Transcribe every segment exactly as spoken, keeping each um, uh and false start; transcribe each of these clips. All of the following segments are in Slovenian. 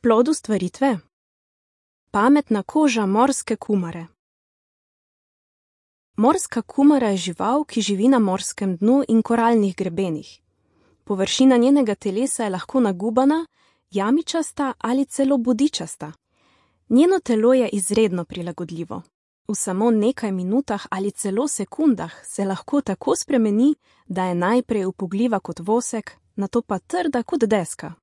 Plod ustvaritve? Pametna koža morske kumare. Morska kumara je žival, ki živi na morskem dnu in koralnih grebenih. Površina njenega telesa je lahko nagubana, jamičasta ali celo bodičasta. Njeno telo je izredno prilagodljivo. V samo nekaj minutah ali celo sekundah se lahko tako spremeni, da je najprej upogljiva kot vosek, nato pa trda kot deska.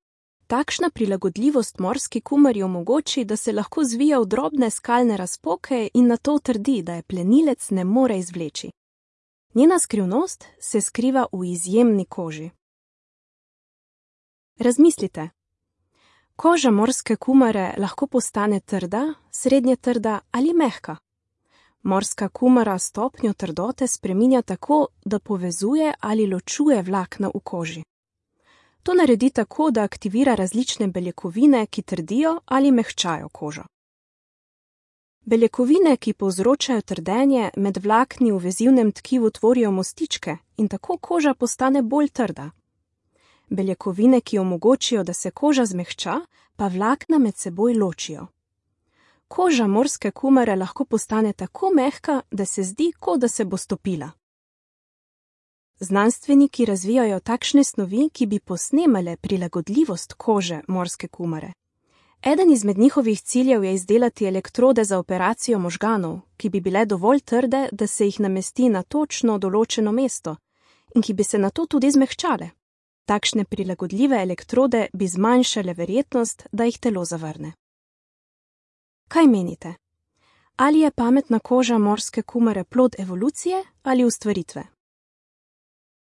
Takšna prilagodljivost morski kumari omogoči, da se lahko zvija v drobne skalne razpoke in nato trdi, da je plenilec ne more izvleči. Njena skrivnost se skriva v izjemni koži. Razmislite. Koža morske kumare lahko postane trda, srednje trda ali mehka. Morska kumara stopnjo trdote spreminja tako, da povezuje ali ločuje vlakna v koži. To naredi tako, da aktivira različne beljakovine, ki trdijo ali mehčajo kožo. Beljakovine, ki povzročajo trdenje, med vlakni v vezivnem tkivu tvorijo mostičke in tako koža postane bolj trda. Beljakovine, ki omogočijo, da se koža zmehča, pa vlakna med seboj ločijo. Koža morske kumare lahko postane tako mehka, da se zdi, kot da se bo stopila. Znanstveniki razvijajo takšne snovi, ki bi posnemale prilagodljivost kože morske kumare. Eden izmed njihovih ciljev je izdelati elektrode za operacijo možganov, ki bi bile dovolj trde, da se jih namesti na točno določeno mesto in ki bi se nato tudi zmehčale. Takšne prilagodljive elektrode bi zmanjšale verjetnost, da jih telo zavrne. Kaj menite? Ali je pametna koža morske kumare plod evolucije ali ustvaritve?